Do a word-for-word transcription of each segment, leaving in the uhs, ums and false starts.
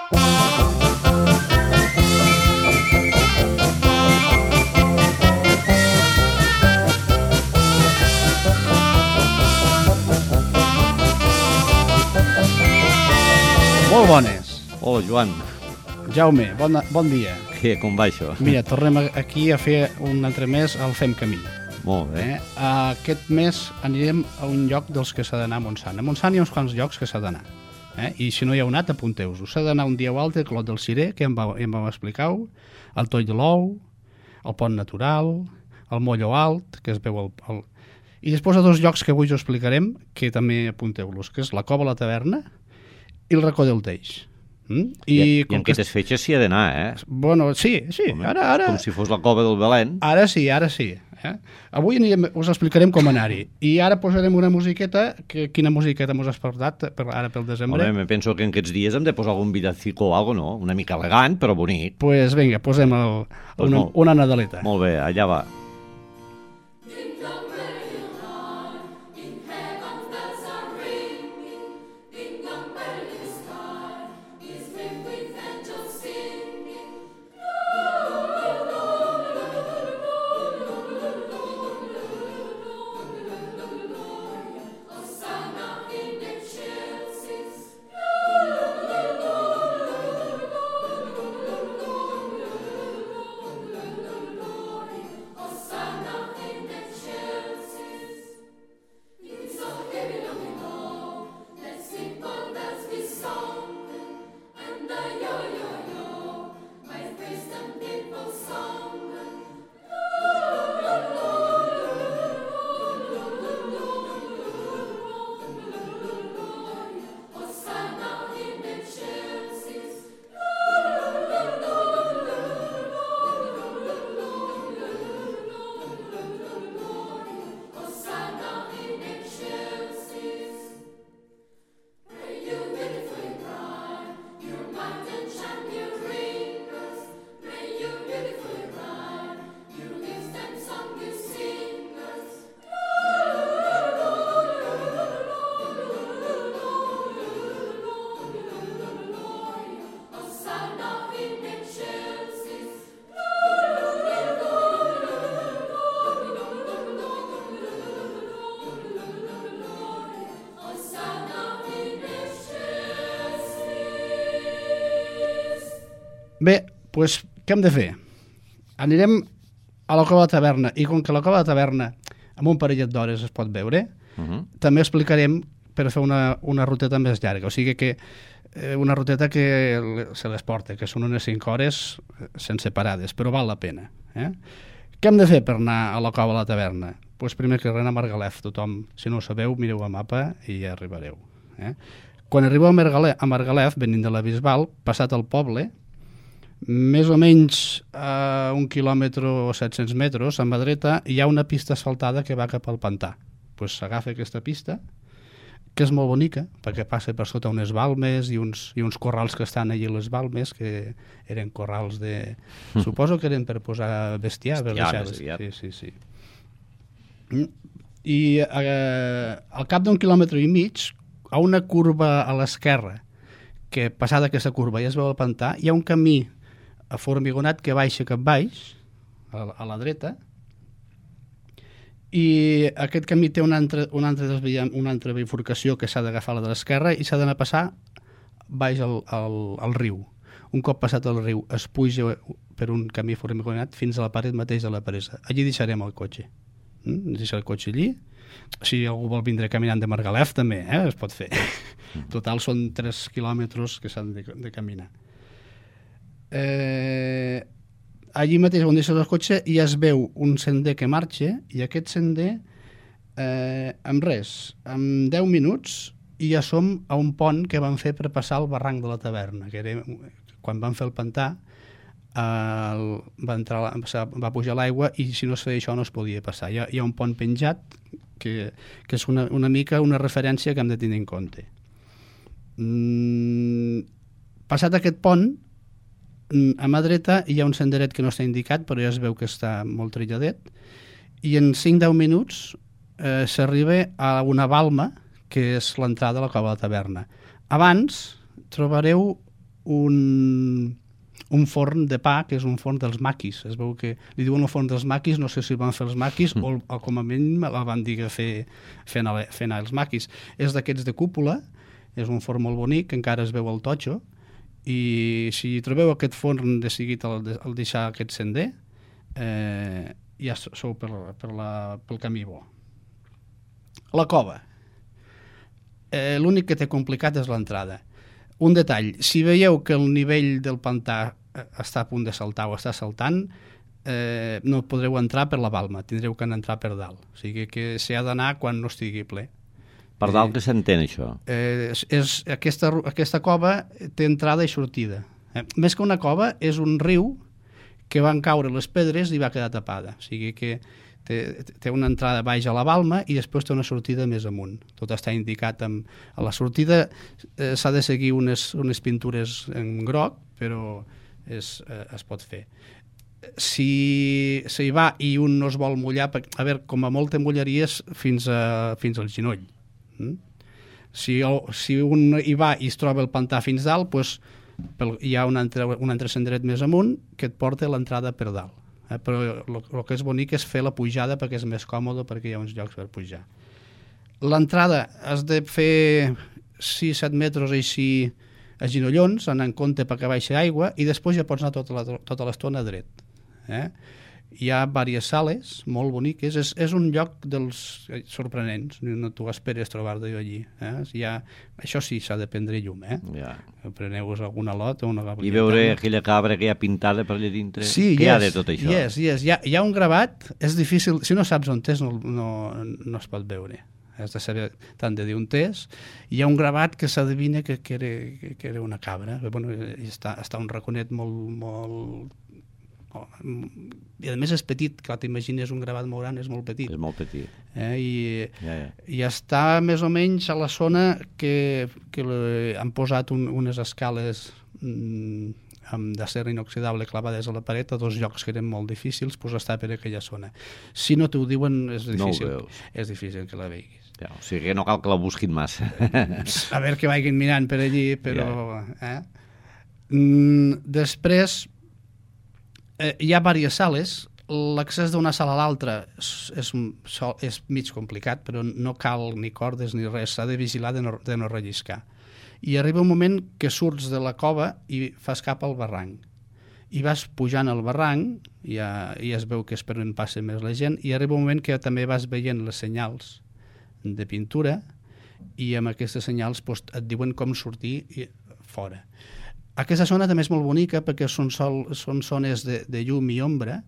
Molt bones. Hola, Joan. Jaume, bon, bon dia. Què, com va això? Mira, tornem aquí a fer un altre mes al Fem Camí. Molt bé. Eh? Aquest mes anirem a un lloc dels que s'ha d'anar a Montsant. A Montsant hi ha uns quants llocs que s'ha d'anar. Eh? I si no hi heu anat, apunteu-vos. S'ha d'anar un dia o altre, Clot del Cirer, que ja em, va, ja em vau explicar, el Toll de l'Ou, el Pont Natural, el Molló Alt, que es veu el... el... I després a dos llocs que avui us explicarem, que també apunteu-los, que és la Cova, la Taverna i el Racó del Teix. Mm? I, I, i com en aquestes que... fetges s'hi ha d'anar, eh? Bueno, sí, sí. Com, Ara, ara... com si fos la Cova del Belén. Ara sí, ara sí. Eh? Avui anirem, us explicarem com anar-hi. I ara posarem una musiqueta. Que, quina musiqueta mos has portat per, ara pel desembre? Home, me penso que en aquests dies hem de posar algun villancico o algo, no? Una mica elegant, però bonic. Pues vinga, posem el, pues una, molt, una Nadaleta. Molt bé, allà va. Bé, doncs què hem de fer? Anirem a la Cova de la Taverna, i com que la Cova de la Taverna amb un parellet d'hores es pot veure, uh -huh. també explicarem per fer una, una ruteta més llarga, o sigui que eh, una ruteta que se les porta, que són unes cinc hores sense parades, però val la pena. Eh? Què hem de fer per anar a la Cova de la Taverna? Doncs primer que res a Margalef, tothom, si no ho sabeu, mireu el mapa i ja arribareu. Eh? Quan arribeu a Margalef, a Margalef, venint de la Bisbal, passat el poble, més o menys a un quilòmetre o set-cents metres, a mà dreta, hi ha una pista asfaltada que va cap al pantà. Doncs s'agafa aquesta pista, que és molt bonica, perquè passa per sota unes balmes i uns, i uns corrals que estan allà a les balmes, que eren corrals de... Mm. Suposo que eren per posar bestiar. Bestiar, bestiar. Sí, sí, sí. I eh, al cap d'un quilòmetre i mig, a una curva a l'esquerra, que passada aquesta curva ja es veu el pantà, hi ha un camí formigonat que baixa cap baix, a, a la dreta, i aquest camí té una altra, una altra, desvia, una altra bifurcació que s'ha d'agafar a la de l'esquerra i s'ha d'anar a passar baix al, al, al riu. Un cop passat el riu es puja per un camí formigonat fins a la paret mateix de la presa. Allí deixarem el cotxe. Mm? Deixar el cotxe allí. Si algú vol vindre caminant de Margalef també, eh? Es pot fer. Total són tres quilòmetres que s'han de, de caminar. Eh, allí mateix on deixes el cotxe ja es veu un sender que marxa, i aquest sender eh, amb res, en deu minuts ja som a un pont que van fer per passar el barranc de la taverna, que era, quan van fer el pantà eh, va, entrar, va pujar l'aigua i si no es feia això no es podia passar. Hi ha, hi ha un pont penjat que, que és una, una mica una referència que hem de tenir en compte. Mm, passat aquest pont, a mà dreta hi ha un senderet que no està indicat, però ja es veu que està molt trilladet, i en cinc a deu minuts eh, s'arriba a una balma, que és l'entrada a la Cova de la Taverna. Abans trobareu un, un forn de pa, que és un forn dels maquis. Es veu que li diuen el forn dels maquis, no sé si el van fer els maquis mm. o, o com a mínim la van dir que fer, fer, anar, fer anar els maquis. És d'aquests de cúpula, és un forn molt bonic, encara es veu el totxo, i si trobeu aquest forn de seguit al, al deixar aquest sender, eh, ja sou per, per la, pel camí bo. La cova. Eh, l'únic que té complicat és l'entrada. Un detall, si veieu que el nivell del pantà està a punt de saltar o està saltant, eh, no podreu entrar per la balma, tindreu que entrar per dalt. O sigui que s'hi ha d'anar quan no estigui ple. Per dalt que s'entén, això? Eh, és, és, aquesta, aquesta cova té entrada i sortida. Eh, més que una cova, és un riu que van caure les pedres i va quedar tapada. O sigui que té, té una entrada baix a la balma i després té una sortida més amunt. Tot està indicat. Amb, a la sortida eh, s'ha de seguir unes, unes pintures en groc, però és, eh, es pot fer. Si s'hi va i un no es vol mullar, a veure, com a molt te mullaries fins, a, fins al genoll. Mm? Si, si un hi va i es troba el pantà fins dalt, doncs, pel, hi ha un altre, un altre senderet més amunt que et porta l'entrada per dalt. Eh? Però el que és bonic és fer la pujada perquè és més còmode, perquè hi ha uns llocs per pujar. L'entrada has de fer sis set metres així a ginollons, anant en compte perquè baixa aigua, i després ja pots anar tota, la, tota l'estona dret. Eh? Hi ha diverses sales molt boniques, és, és un lloc dels sorprenents, no t'ho esperes trobar-te allí. Eh? Ha, això sí, s'ha de prendre llum, eh? Ja. Preneu-vos alguna lot o una gabrieta. I veure aquella cabra que hi ha pintada per allà dintre. Sí, què yes, hi ha de tot això? Yes, yes. Hi, ha, hi ha un gravat, és difícil, si no saps on és no, no, no es pot veure. Has de saber tant de dir on és. Hi ha un gravat que s'adivina que, que, era, que era una cabra. Bueno, està, està un raconet molt... molt Oh, i a més és petit, clar, t'imagines un gravat molt gran, és molt petit. És molt petit. Eh? I, ja, ja. I està més o menys a la zona que, que le, han posat un, unes escales mm, amb d'acer inoxidable clavades a la paret a dos llocs que eren molt difícils, doncs està per aquella zona. Si no t'ho diuen, és difícil, no és difícil que la veiguis. Ja, o sigui que no cal que la busquin massa. A veure que vagin mirant per allí, però... Ja. Eh? Mm, després... Eh, hi ha diverses sales, l'accés d'una sala a l'altra és, és, és mig complicat, però no cal ni cordes ni res, s'ha de vigilar de no, de no relliscar. I arriba un moment que surts de la cova i fas cap al barranc. I vas pujant al barranc, ja, ja es veu que és per on passa més la gent, i arriba un moment que també vas veient les senyals de pintura i amb aquestes senyals doncs, et diuen com sortir fora. Aquesta zona també és molt bonica perquè són, sol, són zones de, de llum i ombra,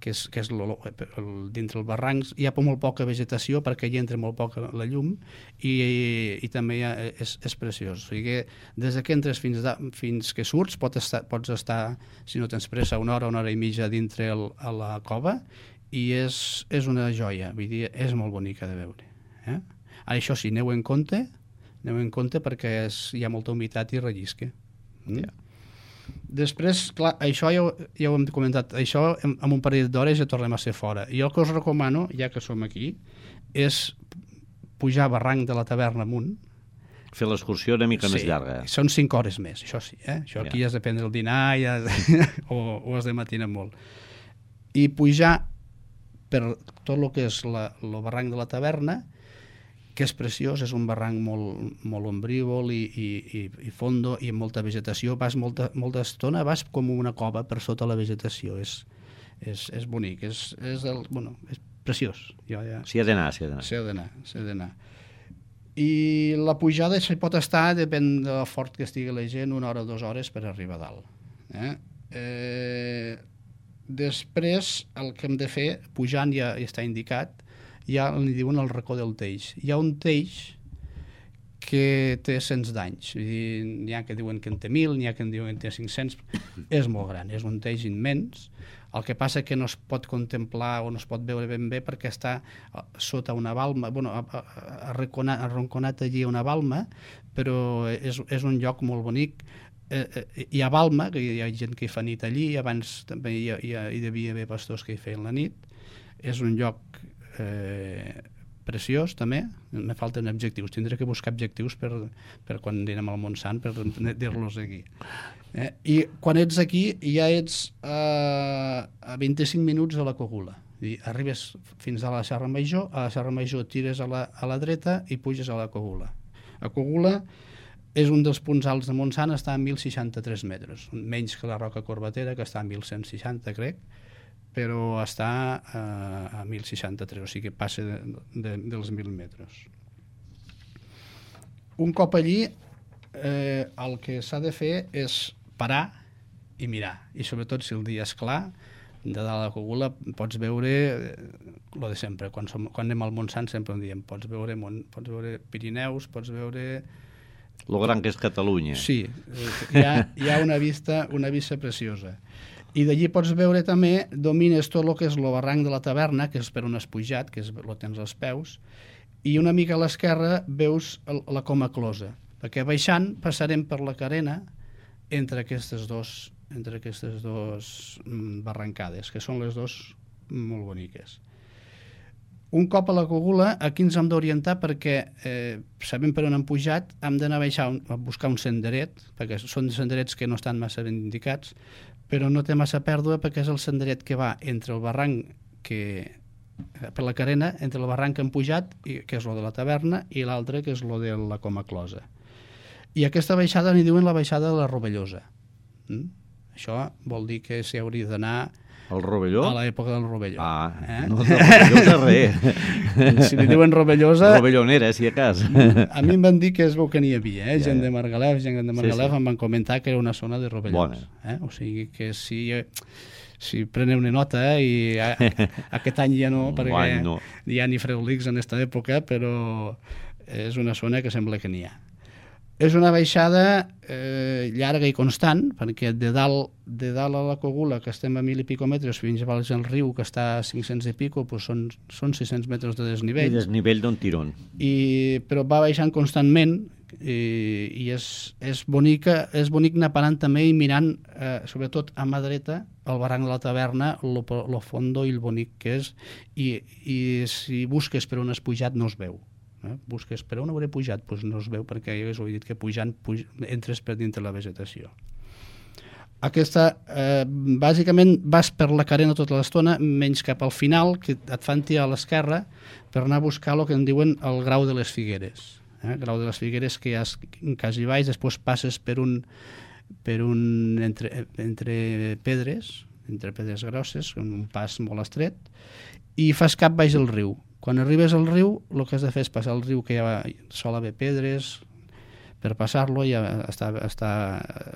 que és, que és lo, el, dintre el barranc hi ha molt poca vegetació perquè hi entra molt poca la llum i, i, i també ha, és, és preciós. O sigui que des que entres fins, da, fins que surts pots estar, pots estar, si no tens pressa, una hora, una hora i mitja dintre el, a la cova i és, és una joia, vull dir, és molt bonica de veure. Eh? Ara, això sí, aneu en compte, aneu en compte perquè és, hi ha molta humitat i rellisca. Mm? Yeah. Després, clar, això ja, ja ho hem comentat, això en, en un parell d'hores ja tornem a ser fora. I el que us recomano, ja que som aquí, és pujar a barranc de la taverna amunt. Fer l'excursió una mica sí, més llarga. Són cinc hores més, això sí. Eh? Això aquí yeah. has de prendre el dinar ja, o, o has de matinar molt. I pujar per tot el que és la, el barranc de la taverna, que és preciós, és un barranc molt, molt ombrívol i, i, i, i fondo i amb molta vegetació, vas molta, molta estona, vas com una cova per sota la vegetació, és, és, és bonic, és, és, el, bueno, és preciós. Jo ja... S'hi ha d'anar, s'hi ha d'anar. S'hi ha d'anar, s'hi ha d'anar. I la pujada s'hi pot estar, depèn de fort que estigui la gent, una hora o dues hores per arribar a dalt. Eh? Eh, després, el que hem de fer, pujant ja, ja està indicat, ja li diuen el racó del teix. Hi ha un teix que té cents d'anys. N'hi ha que diuen que en té mil, n'hi ha que en diuen que en té cinc-cents. És molt gran, és un teix immens. El que passa que no es pot contemplar o no es pot veure ben bé perquè està sota una balma, bueno, arronconat, arronconat allí una balma, però és, és un lloc molt bonic. Eh, hi ha balma, que hi ha gent que hi fa nit allí, abans també hi, hi, hi devia haver pastors que hi feien la nit. És un lloc Eh, preciós també, me falten objectius, tindré que buscar objectius per, per quan anirem al Montsant per dir-los aquí. Eh? I quan ets aquí ja ets eh, a vint-i-cinc minuts de la Cogula. I arribes fins a la Serra Major, a la Serra Major tires a la, a la dreta i puges a la Cogula. La Cogula és un dels punts alts de Montsant, està a mil seixanta-tres metres, menys que la Roca Corbatera, que està a mil cent seixanta, crec, però està eh, a mil seixanta-tres, o sigui que passa de, de, dels mil metres. Un cop allí, eh, el que s'ha de fer és parar i mirar, i sobretot si el dia és clar, de dalt a la Cogula pots veure el de sempre, quan, som, quan anem al Montsant sempre ho diem, pots veure, pots veure Pirineus, pots veure... Lo gran que és Catalunya. Sí, hi ha, hi ha una vista, una vista preciosa. I d'allí pots veure també, domines tot el que és el barranc de la Taverna, que és per on has pujat, que és, lo tens als peus, i una mica a l'esquerra veus el, la Coma Closa, perquè baixant passarem per la carena entre aquestes dos entre aquestes dues barrancades, que són les dues molt boniques. Un cop a la Cogula, aquí ens hem d'orientar perquè eh, sabem per on hem pujat, hem d'anar a baixar a buscar un senderet, perquè són senderets que no estan massa ben indicats, però no té massa pèrdua perquè és el senderet que va entre el barranc que per la carena, entre el barranc que hem pujat, i, que és lo de la Taverna, i l'altre, que és lo de la Coma Closa. I aquesta baixada n'hi diuen la baixada de la Rovellosa. Mm? Això vol dir que s'hi hauria d'anar al Rovelló? A l'època del Rovelló. Ah, eh? no, de Rovellosa res. Si li diuen Rovellosa... Rovellonera, si a cas. A mi em van dir que es veu que n'hi havia, eh? Ja, gent ja. de Margalef, gent de Margalef Sí, sí. em van comentar que era una zona de Rovellons. Eh? O sigui que si, si preneu una nota, eh? I a, aquest any ja no, perquè Guany, no. hi ha ni freolics en aquesta època, però és una zona que sembla que n'hi ha. És una baixada eh, llarga i constant, perquè de dalt, de dalt a la Cogula, que estem a mil i pico metres, fins a Valls del Riu, que està a cinc-cents i pico, doncs són, són sis-cents metres de desnivell. I desnivell d'un tirón. I, però va baixant constantment i, i és, és, bonica, és bonic anar parant també i mirant, eh, sobretot a mà dreta, el barranc de la Taverna, lo, lo fondo i el bonic que és, i, i si busques per on has pujat no es veu. Eh? Busques per on hauré pujat, doncs no es veu perquè ja us he dit que pujant puj... entres per dintre la vegetació. Aquesta, eh, bàsicament vas per la carena tota l'estona, menys cap al final, que et fan tirar a l'esquerra per anar a buscar el que en diuen el Grau de les Figueres. Eh? El Grau de les Figueres que hi ha quasi baix, després passes per un, per un entre, entre pedres, entre pedres grosses, un pas molt estret, i fas cap baix del riu. Quan arribes al riu, el que has de fer és passar el riu, que ja sol haver pedres, per passar-lo ja està, està...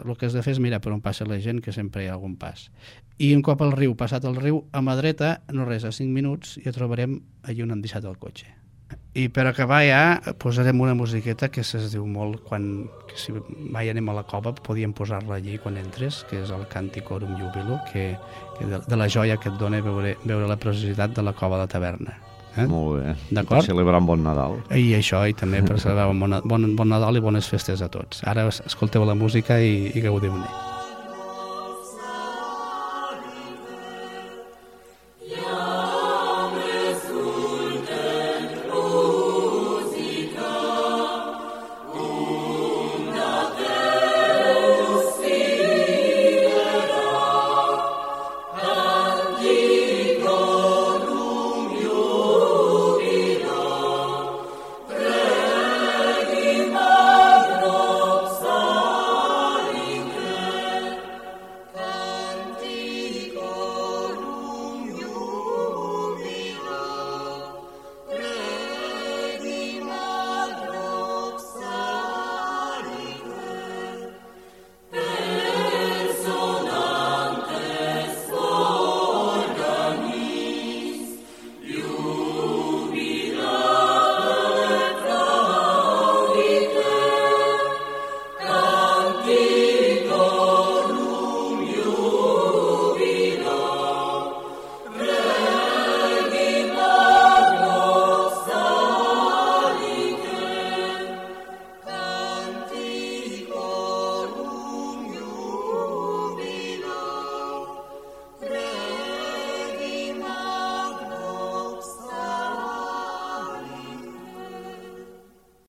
el que has de fer és mirar per on passa la gent, que sempre hi ha algun pas. I un cop al riu, passat el riu, a mà dreta, no res, a cinc minuts, ja trobarem allà on hem deixat el cotxe. I per acabar ja posarem una musiqueta que se'ns diu molt quan, que si mai anem a la cova podíem posar-la allí quan entres, que és el Canticorum Jubilo, que, que de, de la joia que et dona veure, veure la preciositat de la cova de la Taverna. Eh? Molt bé. D'acord? Per celebrar un bon Nadal. I això, i també per celebrar un bon, bon, bon Nadal i bones festes a tots. Ara escolteu la música i, i gaudiu-ne.